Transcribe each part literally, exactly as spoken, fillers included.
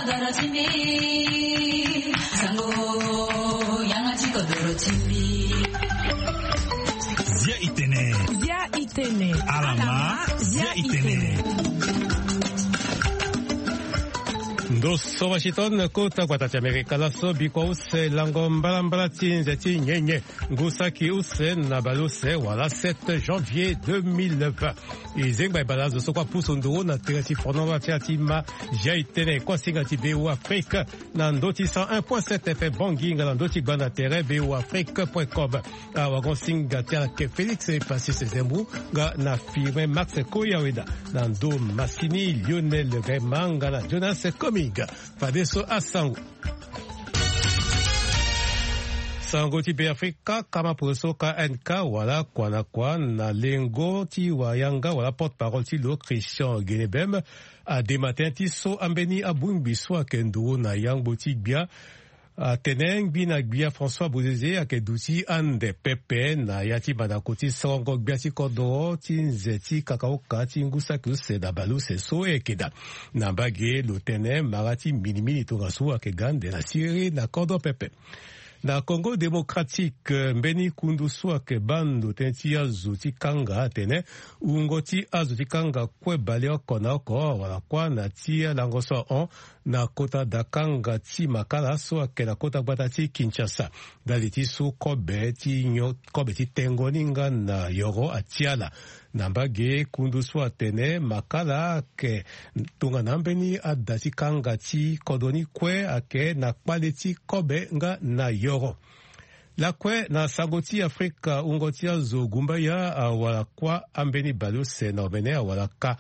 Zia itene. Zia itene. Alama, zia itene. Ndo so Washington, kota gbata ti Amerika laso, bikua use lango mbalambala ti nze ti nyenye, ngu saki use na baleuse wala sept janvier deux mille vingt. E zengba e bale azo so kue apusu nduru na tere ti fondon ti atima. Zia itene kue asinga ti V O A Afrique na ndö ti cent un point sept F M Bangui nga na ndö ti gbanda tere V O A Afrique point com. Awagon singa ti ala ke Félix Pacis Zembou nga na Firmin Max Koyaweda na ndö masini Lionel Rema nga na Jonas Kominga. Fadeso asango. Sango ti Beafrika, kama poroso K N K wala kua na kua na lengo ti wayanga wala porte-parole ti lo Christian Guenebem adema tënë ti so ambeni abongbi so ayeke nduru na yangbo ti gbia atene ngbi na gbia François Bozizé ayeke duti ande pepe na ya ti mandako ti sorongo gbia ti kodoro ti nze ti kakaoka ti ngu saki use na baleuse so e yeke daa. Na mbage lo tene mara ti minimini tongaso ayeke ga ande na siriri na kodro pepe. Na Congo Démocratique, mbeni kundu so ayeke baa ndo tënë ti azo ti kanga atene wungo ti azo ti kanga kue baleoko na oko wala kuâ na ti alango so ahon na kota dakanga ti Makala so ayeke na kota gbata ti Kinshasa. Ndali ti so kobe ti nyon, kobe ti tengo ni nga na yoro atia ala. Na mbage kundu so atene Makala ayeke tongana ambeni ada ti kanga ti kodro ni kue ayeke na kpale ti kobe nga na yoro. Lakue na sango ti Afrika, wungo ti azo gumbaya awara kuâ ambeni baleuse na omene awara ka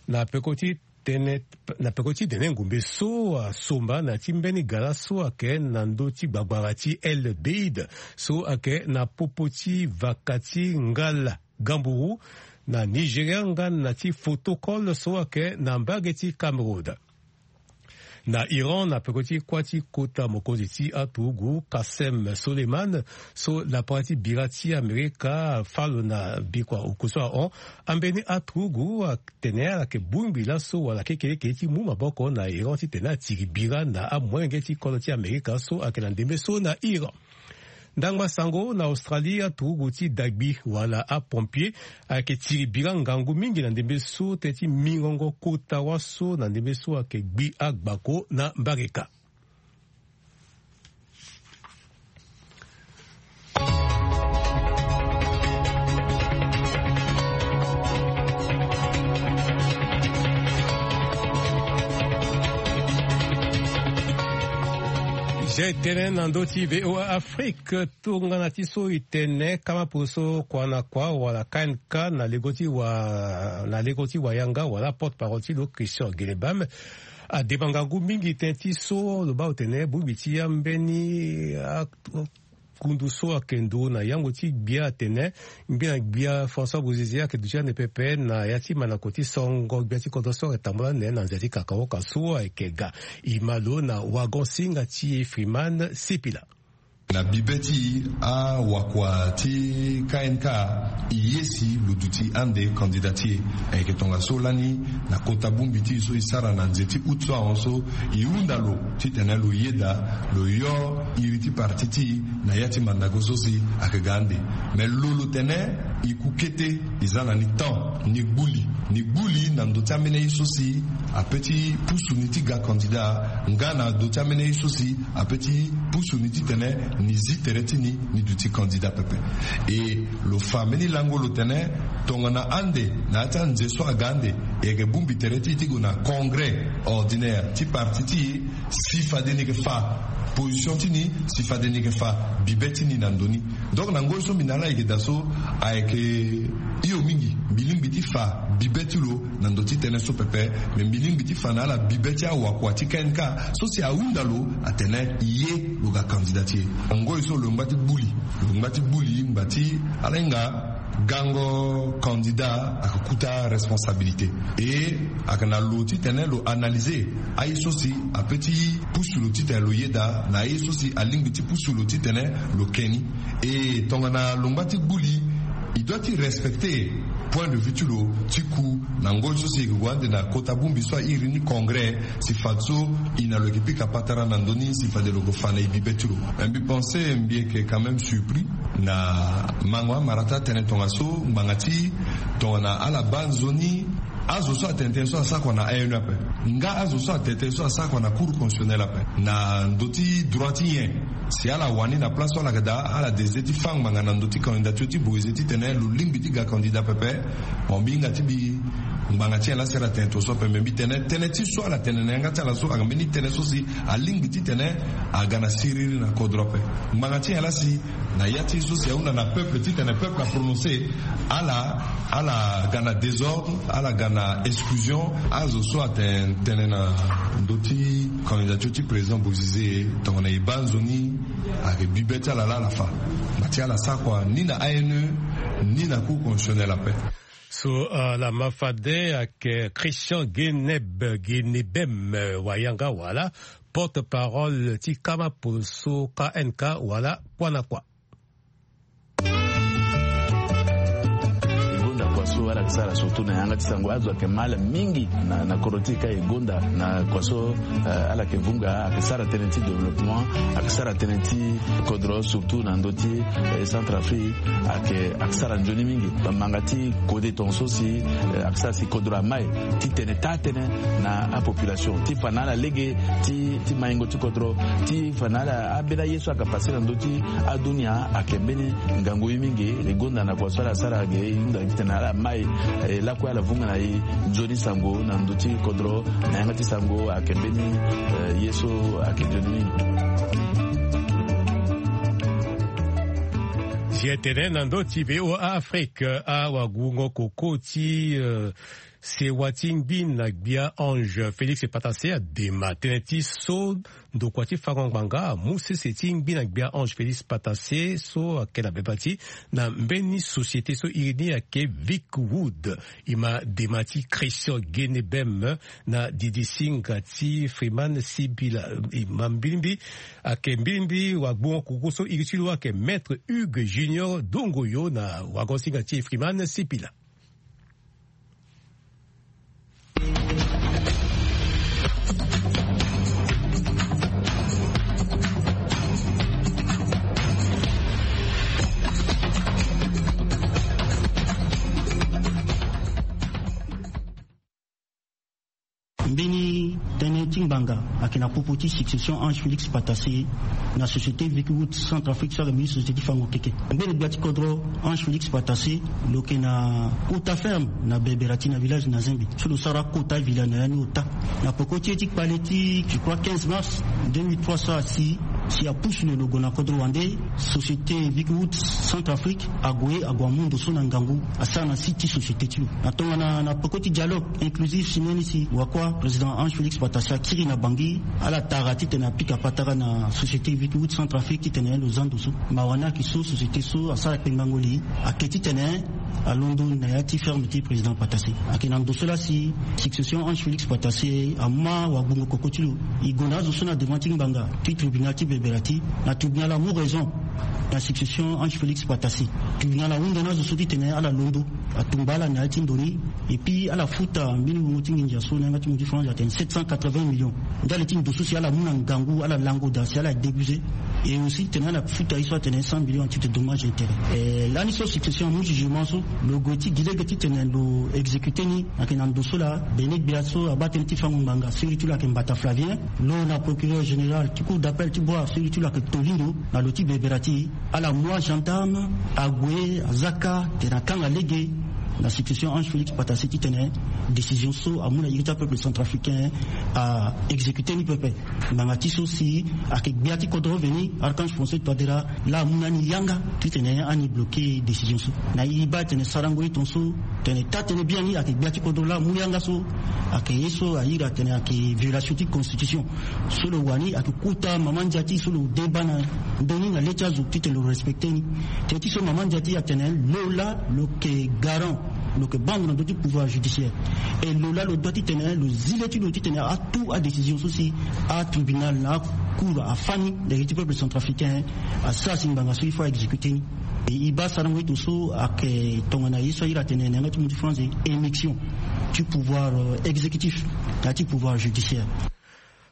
na peko ti tene, na peko ti tene ngumbe so asomba na ti mbeni gara so ayeke na ndö ti gbagbara ti El Beid so ayeke na popo ti vaka ti ngala Gamburu na Nigeria nga na ti Fotokol so ayeke na mbage ti Cameroun. Na Iran, na peko ti kuâ ti kota mokonzi ti aturugu Qasem Soleiman so lapara ti bira ti Amerika fâ lo na bikua oko so ahon, ambeni aturugu atene ala yeke bongbi laso wala kekeleke ti mu maboko na Iran titene atiri bira na amolenge ti kodro ti Amerika so ayeke na ndembe so na Iran. Ndangba sango na Australie, aturugu ti dagbi wala apompier ayeke tiri bira ngangu mingi na ndembe so tënë ti mingongo kota waso na ndembe so ayeke gbi agbako na mbareka. Zia itene na ndö ti V O A Afrique. Tongana ti so itene kama poroso kua na kua wala K N K na lego ti wa, na lego ti wayanga wala porte-parole ti lo Christian Guenebam adema ngangu mingi tënë ti so lo baa lo tene bongbi ti ambeni a kundu so ayeke nduru na yango ti gbia atene ngbi na gbia François Bozizé ayeke duti ande pepe na ya ti mandako ti songo gbia ti kodro so ayeke tambula ande na nze ti kakaoka so ayeke ga. E ma lo na wagon singa ti e Freeman Sipila. Na bibe ti awakua ti K N K, e ye si lo duti ande kandida ti e. Ayeke tongaso lani na kota bongbi ti e so e sara na nze ti août so ahon so, e hunda lo titene lo yeda lo yo iri ti parti ti e na ya ti mandako so si ayeke ga ande. Me lo lo tene e ku kete, e za na ni temps, ni gbuli, ni gbuli na ndo ti ambeni aye so si ape ti pusu ni ti ga kandida, nga na ndo ti ambeni aye so si ape ti pusu ni titene ni zi tere ti ni, ni duti kandida pepe. E lo fa mbeni lango lo tene tongana ande na ya ti anze so aga ande, e yeke bongbi tere ti e ti gue na congrès ordinaire ti parti ti e, si fade ni yeke fa position ti ni, si fade ni yeke fa bibe ti ni na ndo ni. Donc na ngoi so mbi na ala ayeke daa so, ayeke hio mingi mbi lingbi ti fa bibe ti lo na ndo ti tënë so pepe. Me mbi lingbi ti fa na ala bibe ti awakua ti K N K so si ahunda lo atene e ye lo ga kandida ti e. Ngoi so lo ngba ti gbuli, lo ngba ti gbuli ngba ti ala hinga gango kandida ayeke kuta responsabilité. E ayeke na lo titene lo analyser aye so si ape ti pusu lo titene lo yeda na aye so si alingbi ti pusu lo titene lo ke ni. E tongana lo ngba ti gbuli, e doit ti respecter Point de vue ti lo ti ku na ngoi so si e ke gue ande na kota bongbi so a iri ni congrès, si fade so e na lo yeke pika patara na ndö ni si fade lo ke fa na e bibe ti lo. Me mbi pense mbi yeke quand même surpris na mango amara ti atene tongaso ngbanga ti tongana ala baa nzoni azo so atene tënë so asara kua na A N E ape. Nga azo so atene tënë so asara kua na cour constitutionnelle ape na ndö ti droit ti nyen? Si ala wani na place so ala yeke daa ala désider ti fâ ngbanga na ndö ti candidature ti Boise titene lo lingbi ti ga candidat pepe. Mo mbi hinga ti mbi ngbanga ti nyen laa si ala tene tongaso ape. Me mbi tene tënë ti so ala tene na yanga ti ala so ayeke mbeni tënë so si alingbi titene aga na siriri na kodro ape. Ngbanga ti nyen laa si na ya ti so si ahunda na peuple titene peuple aprononcer, ala ala ga na désordre, ala ga na exclusion. Azo so atene tënë na ndö ti candidature ti président Bozizé tongana e baa nzoni ayeke bibe ti ala laa ala fa. Ngba ti ala sara kua ni na A N E ni na cour constitutionnelle ape. So ala ma fade ayeke Christian Geneb Genebem, wayanga wala porte-parole ti kama poso K N K wala kua na kua. E gonda kua so ala yeke sara surtout na yanga ti sango azo ayeke ma ala mingi na na kodro ti e ka e gonda na kua so. Ala yeke vunga ayeke sara tënë ti développement, ayeke sara tënë ti kodro surtout na ndö ti Centrafrique. Ayeke ayeke sara nzoni mingi. Manga ti kode tongaso si ayeke sara si kodro amai titene taa tënë na apopulation ti fa na ala lege ti ti maingo ti kodro ti fa na ala ambeni aye so ayeke pase na ndö ti adunia ayeke mbeni ngangu ye mingi. E gonda na kua so ala sara ge e hunda titene ala mai e lakue ala vunga na e nzoni sango na ndö ti kodro na yanga ti sango ayeke mbeni ye so ayeke nzoni mingi. Si e tene na ndö ti V O A Afrique, awagungo koko ti sewa ti ngbi na gbia Ange Félix Patassé adema tënë ti so ndokua ti fango ngbanga amu sese ti ngbi na gbia Ange Félix Patassé so ayeke na bebati na mbeni société so iri ni ayeke Vic Wood. E ma dema ti Christian Genebem na didi singa ti Freeman Sibila. E ma mbilimbi ayeke mbilimbi wagbongo koko so iri ti lo ayeke Maître Hugues Junior Dongoyo na wago singa ti Freeman Sibila. Mbeni tënë ti ngbanga ayeke na popo ti succession Ange Félix Patassé na société Vic Wood Centrafrique so ayeke mbeni société ti fango keke. Mbeni gbia ti kodro Ange Félix Patassé lo yeke na kota ferme na Beberati na village na Zengbe so lo sara kota villa na ya ni ota. Na peko ti ye ti kpale ti je crois quinze mars deux mille trois so asi si apusu lo lo gue na kodro wande société Vic Wood Centrafrique ague ague amu ndo so na ngangu asara na site ti société ti lo. Na tongana na peko ti dialogue inclusif si mbeni si wakua président Ange Félix Patassé akiri na Bangui ala tara titene apika patara na société Vic Wood Centrafrique titene lo za ndo so. Mawa ni ayeke so société so asara kpengbango li ayeke titene alondo na ya ti ferme ti président Patassé. Ayeke na ndo so laa si succession Ange Félix Patassé ama wagbongo koko ti lo. E gonda azo so na devant ti ngbanga ti tribunal ti Beberati. Na tribunal amu raison na succession Ange Félix Patassé. Tribunal ahunda na azo so titene ala londo, atumba ala na ya ti ndo ni. Et puis ala futa mbeni wungo ti nginza so na yanga ti mo ti France atene sept cent quatre-vingts millions. Ndali ti ndo so si ala mu na ngangu ala lango daa si ala débusé. Et aussi titene ala futa ye so atene cent millions à titre de dommage intérêt. Lani so succession amu jugement so lo gue ti gi lege titene lo exécuté ni. Ayeke na ndo so laa bene gbia so abaa tënë ti fango ngbanga siriri ti lo ayeke Mbata Flavien. Lo na procureur général ti cour d'appel ti Bouar siriri ti lo ayeke Tolindo na lo ti Beberati. Ala mu agendarme ague azaka tene akanga lege na succession Ange Félix Patassé titene décision so amu na iri ti apeuple centrafricain a exécuté ni pepe. Ngbanga ti so si ayeke gbia ti kodro veni Archange François Touadéra laa amu na ni yanga titene ani bloqué décision so. Na e baa tene sarango ye tongaso tene taa tënë biani ayeke gbia ti kodro laa amu yanga so. Ayeke ye so a iri atene ayeke violation ti constitution. So lo wani ayeke kota mama ndia ti so lo deba na ndö ni na le ti azo titene lo respecté ni. Tënë ti so mama ndia ti atene lo laa lo yeke garant, lo yeke bande na ndö ti pouvoir judiciaire. Et lo laa lo doit titene lo zi le ti lo titene atout adécision so si atribunal na acour afa ni na iri ti peuple centrafricain asara si ngbanga so il faut a exécuté ni. E baa sarango ito so ayeke tongana ye so ahiri atene na yanga ti mu ti France, émission ti pouvoir exécutif na ti pouvoir judiciaire.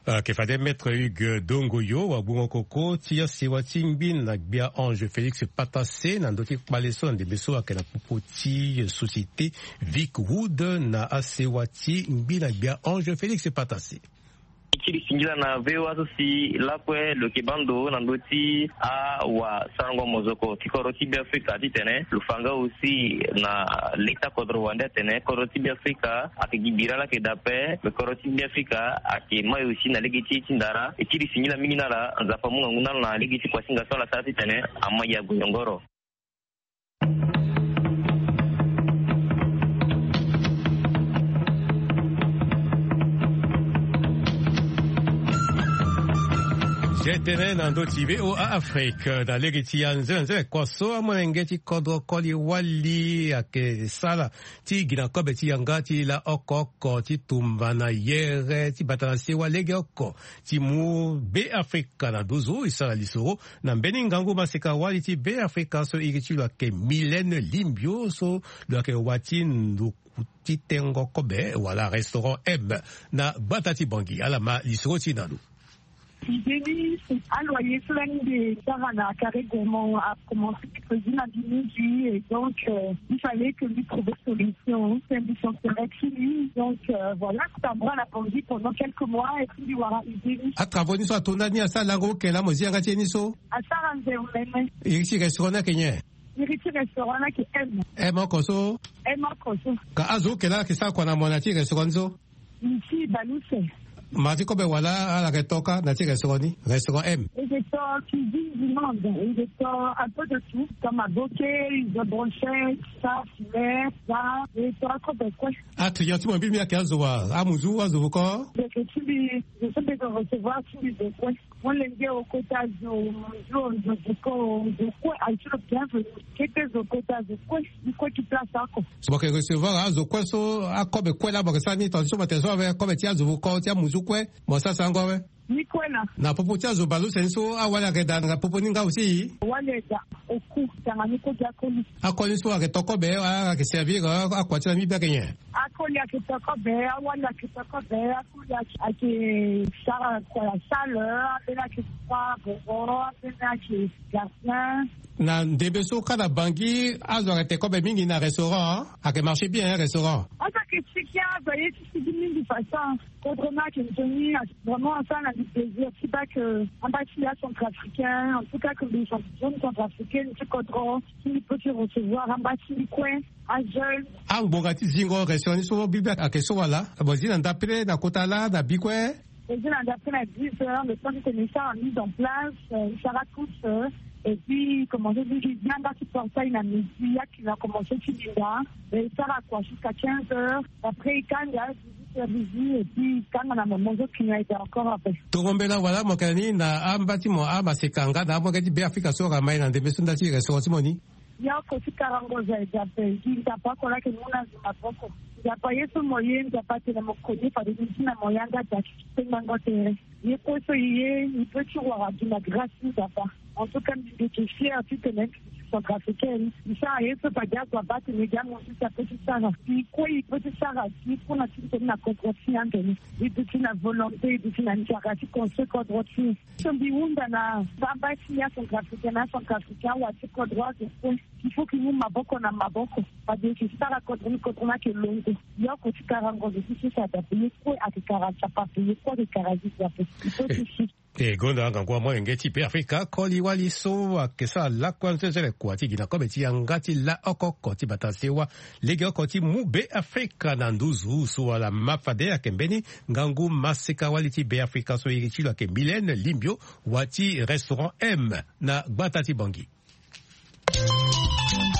Ayeke fade maître Hugues Dongoyo wagbongo koko ti asewa ti ngbi na gbia Ange Félix Patassé na ndö ti kpale so na ndembe so ayeke na popo ti société Vic Wood na asewa ti ngbi na gbia Ange Félix Patassé. Ti li singila na V O A so si lakue lo yeke baa ndo na ndö ti awasarango mozoko ti kodro ti Beafrika titene lo fa nga aussi na leta kodro wande atene kodro ti Beafrika ayeke gi bira laa ayeke daa ape. Me kodro ti Beafrika ayeke mai aussi na lege ti e ti ndara. E ti li singila mingi na ala, Nzapa amu ngangu na ala na lege ti kuasinga so ala sara titene amai ague yongoro. Zia tënë na ndö ti V O A Afrique na lege ti anzenze kua so amolenge ti kodro koli wali ayeke sala ti gi na kobe ti yanga ti la oko oko ti tumba na yere ti bata na sewa legeoko ti mu Beafrika na nduzu e sara lisoro na mbeni ngangu maseka wali ti Beafrika so iri ti lo ayeke Mylène Limbio so lo yeke wa ti nduku ti tengo kobe wala restaurant M na gbata ti Bangui. Ala ma lisoro ti e na lo. Idée ni, aloyer so lani mbi sara na Carré Gourmand a commencé prévu na mbi mingi, et donc, euh, il fallait que lui trouver solution. C'est un business qui lui, donc, euh, voilà, ça me rend la Bangui pendant quelques mois et puis mbi wara idée ni. Atravo ni so ato ndani asara lango oke laa mo zi yanga ti e ni so? Asara nze omene. Iri ti restaurant ni ayeke nyen? Iri ti restaurant ni ayeke M. M oko so? M oko so. Ka azo oke laa ayeke sara kua na mo na ya ti restaurant ni so? Mbi ti bale use. Mara ti kobe wala ala yeke to kâ na ya ti restaurant ni, restaurant M? E yeke to cuisine du monde, e yeke to un peu de tout, to maboke, izo brochette, ça, filet, ça, e yeke to akobe kue. Aclient ti mo mbi mbi ayeke azo wa, amuzu, azo voko? Ndeke ti mbi, zo so mbi yeke recevoir ti mbi zo kue. Molenge o, kota zo, zo, zo, zo ko, zo kue, aye ti lo bienvenu. Kete zo kota zo kue, i kue ti place oko. So mo yeke recevoir azo kue so akobe kue laa mo yeke sara ni tonga ti so mo tene so ave kobe ti azo voko ti amuzu kue, mo sara sarango awe? Ni kue laa. Na popo ti azo baleuse ni so awali ayeke daa na popo ni nga aussi? Awali ayeke daa oku, tanga ni kue gi akoli. Akoli so ayeke to kobe, ayeke servir akua ti ala mingi be ayeke nyen? Akoli ayeke to kobe, awali ayeke to kobe, akoli ayeke sara kua ya salle, ambeni ayeke sara boro, ambeni ayeke gardien. Na ndembe so kâ na Bangui azo ayeke te kobe mingi na restaurant, ayeke marché bien, hein, restaurant? Azo ayeke sigi, azo aye ti sigi mingi façon. Kodro ni ayeke nzoni, vraiment asara na mbi plaisir ti baa que amba ti ya centrafricain, en tout cas que mbi jeune centrafricaine ti kodro, si mbi peut ti recevoir amba ti mbi kue ajeune. Angbonga ti zingo restaurant ni so bibe ayeke so wala? Mo zi na ndapele na kota laa na bi kue? Mo zi na ndapele na dix heures, le temps que mbi sara mise en place, euh, mbi sara tous, euh, et puis commencer ti zi anga ti portail na midi, ya client commencer ti linda, e sara kua jusqu'à quinze heures, après e kanga dix-huit heures, et puis e kanga na mo, mo zo client e daa encore après. Toro mbela wala mo yeke na ni na amba ti mo amaseka nga na amolenge ti Beafrika so ayeke mai na ndembe so nda ti restaurant ti mo ni? Ye oko ti karango zo aye daa ape, gi Nzapa oko laa ayeke mu na zo maboko. Nzapa ye so mo ye, Nzapa atene mo koni fade ni ti na mo yanga daa ti ti kpengbango tere. Ye kue so e ye, e peut ti wara gi na grâce ti Nzapa. En tout cas mbi yeke fière titene mbi centrafricaine. E sara ye so fade azo abaa atene gi amosi si apeut ti sara. Gi kue e peut ti sara gi kue na ti tene na kodro ti e ande ni. E duti na volonté, e duti na nzara ti construire kodro ti e. So mbi hunda na amba ti ya centrafricain na acentrafricain awa ti kodro azo kue. Il faut que e mu maboko na maboko. Fade e yeke sara kodro ni, kodro ni ayeke londo. Ye oko ti karango zo ti so si adape ye kue ayeke kara nzapa ape, ye kue ayeke kara zi ape. Il faut ti si. E gonda ngangu amolenge ti Beafrika koli wali so ayeke sara lakue anzenzele kua ti gi na kobe ti yanga ti la oko oko ti bata sewa legeoko ti mu Beafrika na nduzu so wala ma fade ayeke mbeni ngangu maseka wali ti Beafrika so iri ti lo ayeke Mylène Limbio wa ti restaurant M na gbata ti Bangui.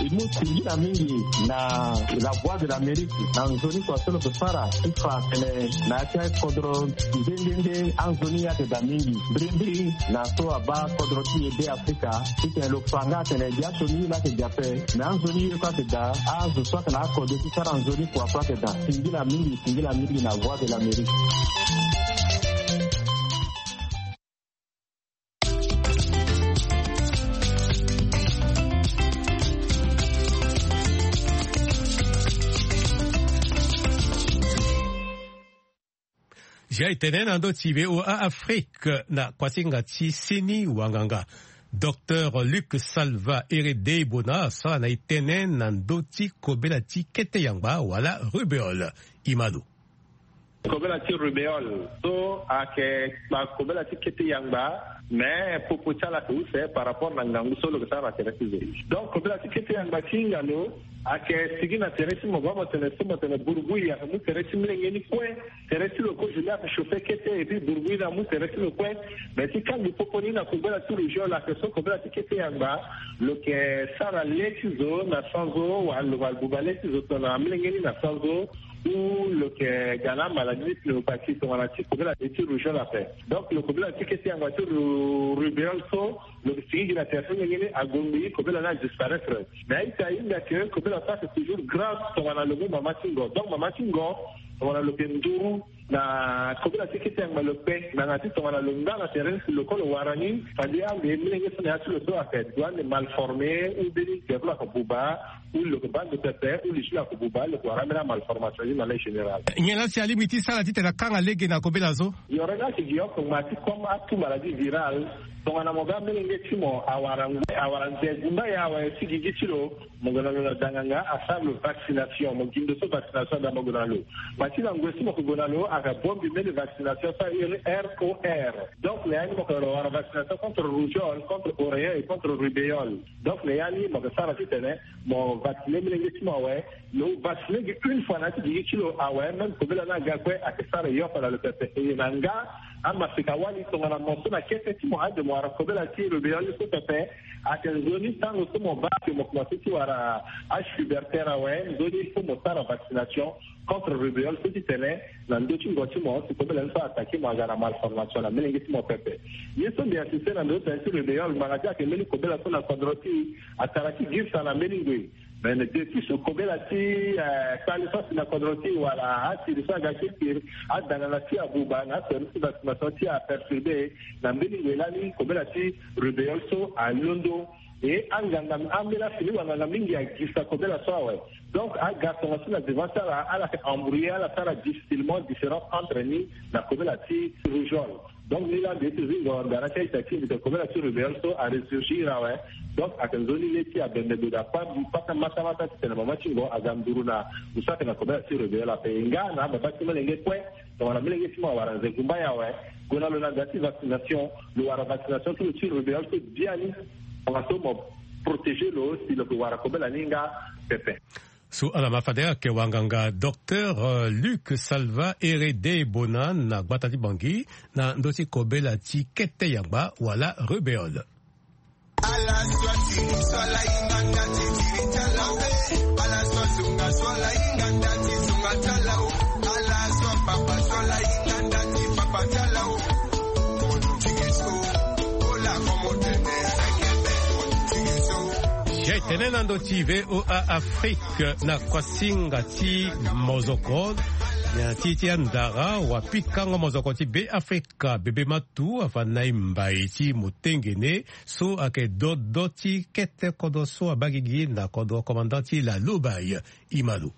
E mu singila mingi na La Voix de l'Amérique na nzoni kua so lo yeke sara ti fa tene na ya ti akodro nde nde nde anzoni ayeke daa mingi. Mbirimbiri na so abaa kodro ti e Beafrika titene lo fa nga atene gi asioni ye laa ayeke daa ape, me anzoni ye kue ayeke daa, azo so ayeke na akode ti sara nzoni kua kue ayeke daa. Singila mingi, singila mingi na Voix de l'Amérique. Ga e tene na ndö ti V O A Afrique na kuasinga ti seni wanganga. Docteur Luc Salva Herede Bona asara na e tene na ndö ti kobela ti kete yangba wala rubéole. Imano. Kobela ti rubéole so ayeke kobela ti kete yangba, mais popo ti ala ayeke use par rapport na ngangu so lo yeke sara na tere ti zo. Donc kobela ti kete yangba ti hinga lo ayeke sigi na tere ti mo, mo tene so mo tene burubui ayeke mu tere ti molenge ni kue. Tere ti lo kozo ni ayeke chauffer kete et puis burubui ni amu tere ti lo kue. Mais ti kangbi popo ni na kobela ti rubéole ayeke so kobela ti kete yangba lo yeke sara le ti zo na sanzo wala lo ma buba le ti zo tongana molenge ni na sanzo. Ou lo yeke ga na maladie ti pneumopathie tongana ti kobela ti rubéole ape. Donc lo kobela ti kete yangba ti ru- rubéole so lo yeke sigi gi na tere ti molenge ni ague ngbii kobela ni adisparaître. Mais a-ita ahinga ke kobela so ayeke toujours grave tongana lo mu mama ti ngo. Donc mama ti ngo tongana lo yeke nduru na kobela ti kete yangba lo kpe na yanga ti tongana lo nga na tere ti lo ko lo wara ni. Fade ande molenge so na ya ti lo so ayeke doit ande mal formé ou mbeni devlo ayeke buba ou lo yeke baa ndo pepe ou li ti lo ayeke buba lo yeke wara ambeni amalformation ni na lege général. Nyen la si alingbi ti sara titene akanga lege na kobela so? Yoro ni ayeke gi oko ngba ti comme atu maladie virale. Tongana mo ga molenge ti mo awara ngoi awara nze gumba ye awe ti gigi ti lo, mo gue na lo na danganga asara lo vaccination, mo gi ndo so vaccination ada mo gue na lo. Ma ti na ngoi so mo yeke gue na lo ayeke bongbi mbeni vaccination so ahiri R O R. Donc na ya ni mo yeke wara vaccination contre rougeole, contre oreillon et contre rubéole. Donc na ya ni mo yeke sara titene mo vacciner molenge ti mo awe. Lo vacciner gi une fois na ya ti gigi ti lo awe, même kobela ni aga kue ayeke sara e yoko na lo pepe. E na nga amaseka wali tongana mo so na kete ti mo ade mo wara kobela ti rubéole so pepe. Ayeke nzoni tango so mo baa ke mo komanse ti wara achuberter awe, nzoni il faut mo sara vaccination contre rubéole so titene na ndö ti ngo ti mo si kobela ni so attaqué mo aga na malformation na molenge ti mo pepe. Ye so mbi insisté na ndö ti tene ti rubéole ngbanga ti ayeke mbeni kobela so na kodro ti atara ti girisa na mbeni ngoi. Mais na depuis so kobela ti kpale so asi na kodro ti wala asiri so aga ti kiri adangana ti abuba na aservice ti vaccination ti aperturbé na mbeni ngoi lani kobela ti rubéole so alondo. E anganga ambeni afini wanganga mingi agisa kobela so awe. Donc aga tongaso na devant ti ala ala yeke embrouiller ala sara difficilement différence entre ni na kobela ti rougeole. Donc ni la mbi ye ti zingo ngara ti a-ita ti mbi tene kobela ti rubéole so aressurgir awe. Donc ayeke nzoni le ti abembe gue daa kpa mbi kpata matamata titene mama ti ngo aga nduru na lo so ayeke na kobela ti rubéole ape. E nga na ababa ti molenge kue tongana molenge ti mo awara nze gumba ye awe, gue na lo na da ti vaccination. Lo wara vaccination ti lo ti rubéole so biani. Tongaso mo protéger lo si lo yeke wara kobela ni nga pepe. So ala ma fade ayeke wanganga docteur Luc Salva Herede Bona na gbata ti Bangui na ndö ti kobela ti kete yangba wala rubéole. Jai tene na ndö ti V O A Afrique na kuasinga ti mozoko na ti ti andara wa pikango mozoko ti Be Afrika bebe matu afa na e mbai ti motengene so ayeke dodo ti kete kodro so abaa gigi na kodro commandant ti la Lobaye. Imalo.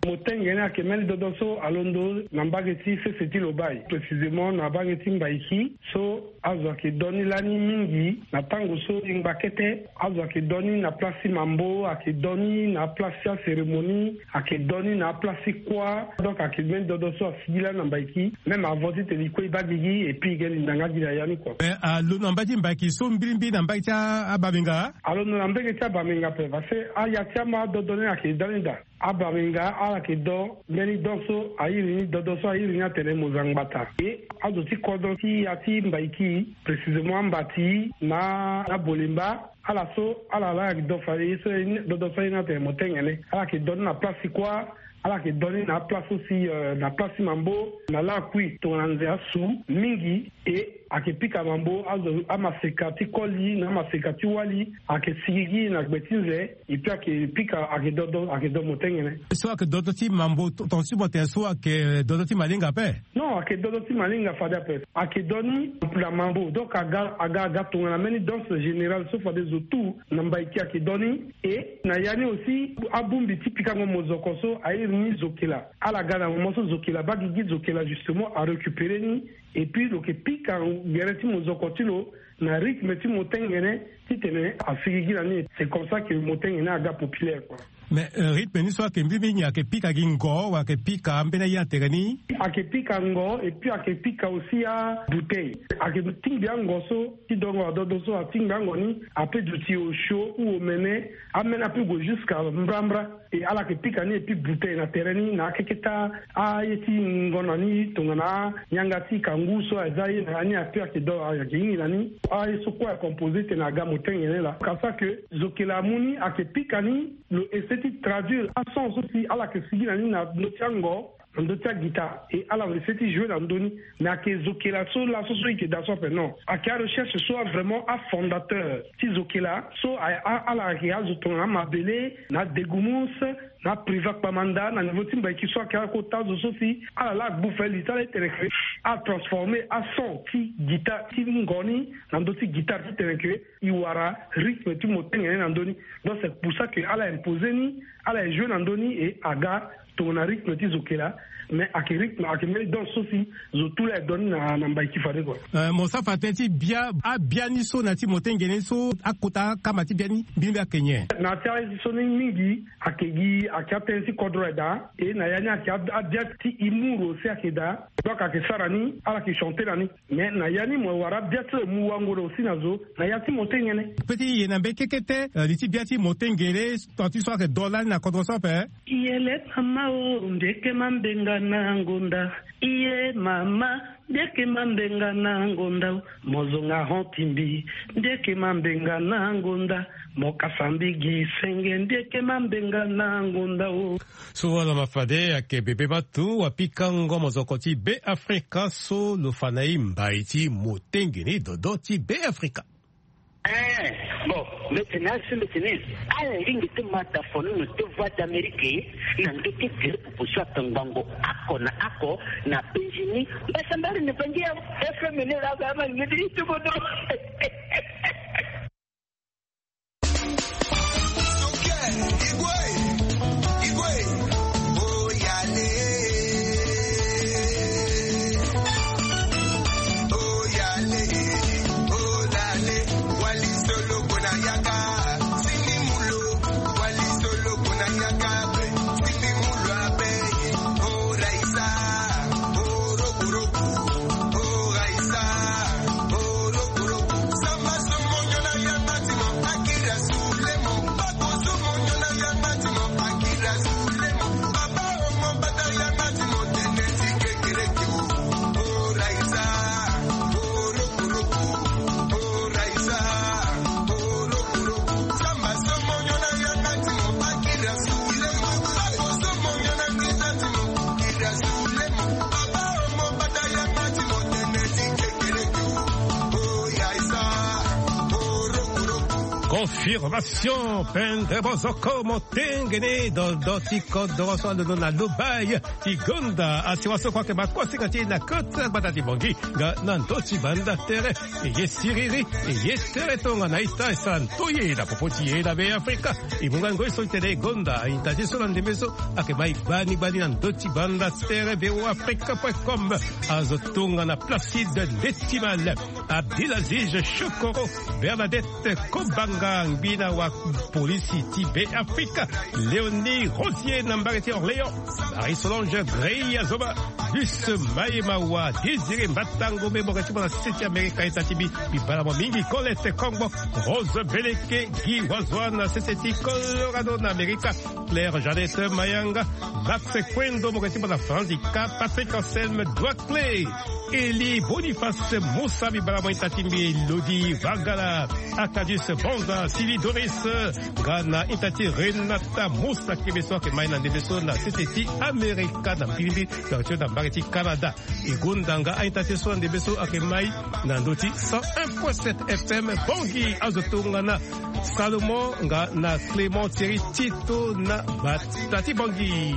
Motengene ayeke mbeni dodo so alondo na mbage ti sese ti Lobaye, précisément na mbage ti Mbaiki so azo ayeke do ni lani mingi na tango so e ngba kete. Azo ayeke do ni na place ti mambo, ayeke do ni na place ti acérémonie, ayeke do ni na place ti kuâ. Donc ayeke mbeni dodo so asigi lani na Mbaiki, même avant titene e kue e baa gigi et puis e ga e linda nga gi na ya ni kua. Mais alondo na mbage ti Mbaiki so mbirimbiri na mbage ti abamenga? Alondo na mbage ti abamenga ape parce que aya ti ama adodo ni ayeke da ni daa. Abamenga ala yeke do mbeni do so a iri ni dodo so a iri ni atene Mozangbata. E azo ti kodro ti ya ti Mbaiki, précisément Ambati na Abolemba, ala so ala laa ayeke do fade ye so dodo so a iri ni atene Motengene. Ala yeke do ni na place ti kuâ, ala yeke do ni na aplace so si na place ti mambo na lakui tongana nze asu mingi. E ayeke pika mambo azo amaseka ti koli na amaseka ti wali ayeke sigigi na gbe ti nze. Et puis ayeke pika ayeke dodo ayeke do Motengene. So ayeke dodo ti mambo tongaso ti mo tene so ayeke dodo ti malinga ape? Non, ayeke dodo ti malinga fade ape. Ayeke do ni na mambo, donc aga aga aga tongana mbeni danse générale so fade zo tout na Mbaiki ayeke do ni. E na ya ni aussi abongbi ti pikango mozoko so a iri Ni zokela ala ga na moment so zokela baa gigi zokela justement arécupéré ni. Et puis lo yeke pika gere ti mozoko ti lo na rythme ti motengene titene asigigi na ni. C'est comme ça que motengene aga populaire quoi. Mais rythme ni so ayeke mbi mingi ayeke pika gi ngo wala ayeke pika ambeni aye na tere ni? Ayeke pika ngo et puis ayeke pika aussi abouteille. Ayeke tingbi ango so ti dongo adodo so atingbi ango ni ape duti osio ou omene. Ameni ape gue jusqu'à mbrambra. Et ala yeke pika ni et puis bouteille na tere ni na akeke ti aye ti ngo na ni tongana anyanga ti kangu so aza ye na ya ni ape ayeke do ayeke hingi na ni. Aye so kue acomposé tene aga motengene laa. Kasa ke zokela amu ni ayeke pika ni. Lo essaie ti traduire ason so si ala yeke sigi na ni na ndö ti ango na ndö ti aguitare. Et ala lo essaie ti jouer na ndö ni. Mais ayeke zokela so laso so i yeke daa so ape non. Ayeke arecherche so avraimment afondateur ti zokela so ala ayeke azo tongana amabele na adegumus na apriva kpamanda na niveau ti mbaiki so ayeke akota zo so si ala laa agbu fali ti ala ti tene ke atransformer ason ti guitare ti ngo ni na ndö ti guitare ti tene ke i wara rythme ti motengene na ndö ni. Donc c'est pour ça que ala imposer ni. Ala e jouer na ndö ni et aga tongana rythme ti zokela. Mais ayeke rythme ayeke mbeni danse so si zo tout la e donne na na mbai ti fade kua. Mo sara fa tënë ti bia abia ni so na ya ti motengene so akota akama ti bia ni mbi ni mbi ayeke nyen? Na ya ti aye so ni mingi ayeke gi ayeke atënë ti kodro aye daa. Et na ya ni ayeke abia ti imuru aussi ayeke daa. Donc ayeke sara ni ala yeke chanter na ni. Mais na ya ni mo wara bia ti lo mu wango na aussi na zo na ya ti motengene. Pe ti ye na mbeni kekete li ti bia ti motengene. Tant ti so ayeke do lani na kodro so ape. Iye le mama o mbi yeke ma mbenga na ngonda. Iye mama mbi yeke ma mbenga na ngonda o. Mo zonga hon ti mbi mbi yeke ma mbenga na ngonda. Mo kasa mbi gi senge mbi yeke ma mbenga na ngonda o. So wala mafade ayeke bebe matu wapikango mozoko ti be afrika so lo fa na e mbai ti motengene dodo ti be afrika. Eh, bon, mbeti na asi mbeti ni. Ala lingi ti mata fono na te voix d'amérique na ndö ti gere popo so atongbango ako na ako na penzi ni. Mbasambari na bangi ya fm ni la ba ma ni ti bodo. Confirmation pendre bozoko motengene dodo ti kodoro so alondo na lobai ti gonda asiwa so kue ayeke makosinga ti e na kota gbata ti bongi nga na ndö ti banda tere. Eye siriri eye tere tongana ita e sara nto ye na popo ti e na be afrika. E mu nga ngoi so ti tene e gonda aita ti so na ndembe so ayeke mai gbani gbani na ndö ti banda tere be afrika point com. Azo tongana placide ndetimal, abdulaziz chokoro, bernadette kobanga ngbina wa polisi ti be afrika, léonie rosier na mbage ti orléans, marie solange grey azoba, bus maye mawa, désiré mbatangombe moko ti mo na sese ti amerika. Ita ti mbi mbi bala mo mingi, colette kongbo, rose beleke, guy wazwan na sese ti colorado na amerika, claire jeannette mayanga, max quendo moko ti mo na franzica, patrick anselme doicle, eli boniface musa mbi bala mo ita ti mbi lodi vagala, akadis bonza sili doris, nga na ita ti renata musa kebe so ayeke mai na ndembe so na sese ti amerika na mbilili. Tongana ti na mbage ti canada. E gonda nga a-ita ti so ande be so ayeke mai na ndö ti cent un point sept fm bongi azo tongana salomon nga na clément thierry tito na bata ti bongi.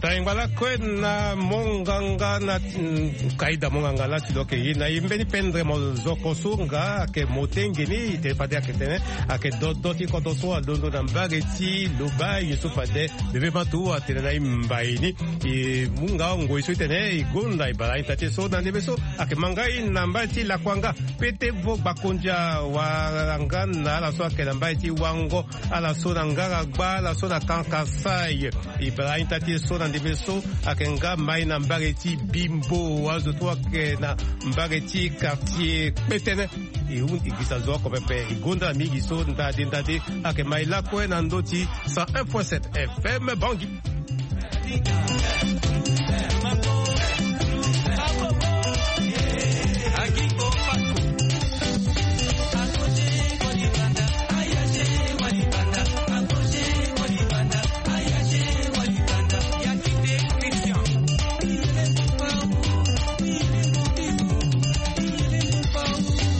Tara e ngba lakue na monganga na, mm, kaida monganga lasi lo yeke ye na e mbeni pendre mozoko so nga ayeke motenge ni, e tene fade ayeke tene ayeke dodo ti kodro so alondo na mbage ti Lobaye so fade bebe matu atene na e mbai ni. E mu nga ngoi so e tene e gonda e bara ita ti e so na ndembe so ayeke mangai na mbage ti Lakuanga, Pete vo Gbakondia, wala nga na ala so ayeke na mbage ti Wango, ala so na Ngaragba, ala so na Kankasai. E bara ita ti e so na ndembe so ayeke nga mai na mbage ti Bimbo, azo ti e ayeke na mbage ti quartier Kpetene. E hon e gi sa zo oko pepe, e gonda mingi so ndade ndade ayeke mai lakue na ndö ti cent un point sept F M Bangui.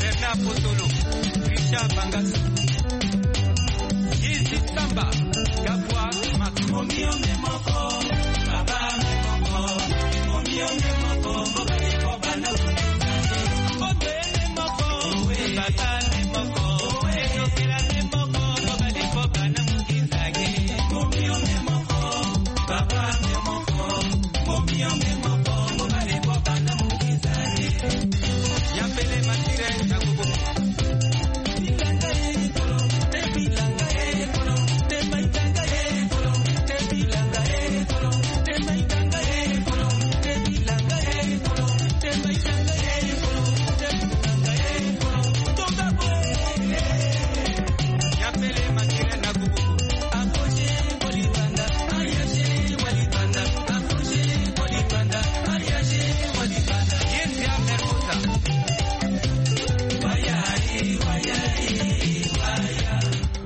Bernard Potolo, Richard Bangasu, Yezu Samba, Gabwa Max.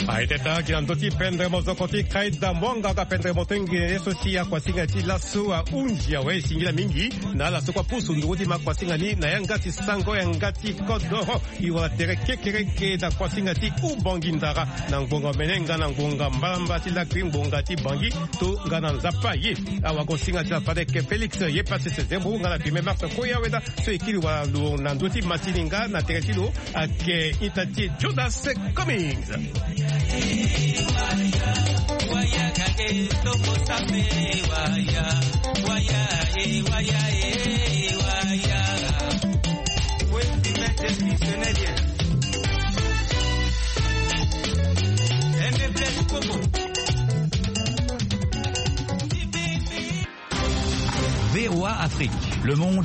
Aye teta gi na ndö ti pendre mozoko ti kaida monganga pendre motenge ye so si akuasinga ti laso ahunzi awe singila mingi na ala so kue apusu nduru ti ma kuasinga ni na yanga ti sango yanga ti kodoro. E wara tere kekereke na kuasinga ti Ubangi Ndara na ngbonga omene nga na ngbonga mbalambala ti lakui ngbonga ti Bangi to nga na Nzapa ye. Awagosinga ti la fade ayeke Félix ye Patrice Zembo nga na Firmin Marc Koyaweda so e kiri wala lo na ndö ti masini nga na tere ti lo ayeke ita ti Judas Cummings. V O A Afrique, le monde